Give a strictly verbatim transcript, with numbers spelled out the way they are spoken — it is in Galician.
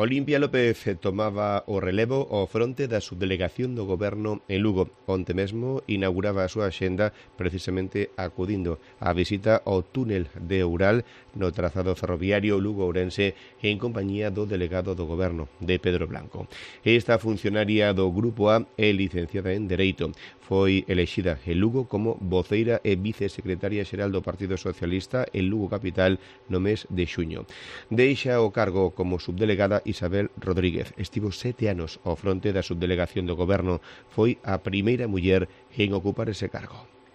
Olimpia López tomaba o relevo ao fronte da subdelegación do Goberno en Lugo. Onte mesmo inauguraba a súa axenda precisamente acudindo á visita ao túnel de Oural no trazado ferroviario Lugo-Ourense en compañía do delegado do Goberno, de Pedro Blanco. Esta funcionaria do Grupo A é licenciada en Dereito. Foi elexida en Lugo como voceira e vicesecretaria xeral do Partido Socialista en Lugo Capital no mes de xuño. Deixa o cargo como subdelegada Isabel Rodríguez. Estivo sete anos ao fronte da subdelegación do Goberno. Foi a primeira muller en ocupar ese cargo.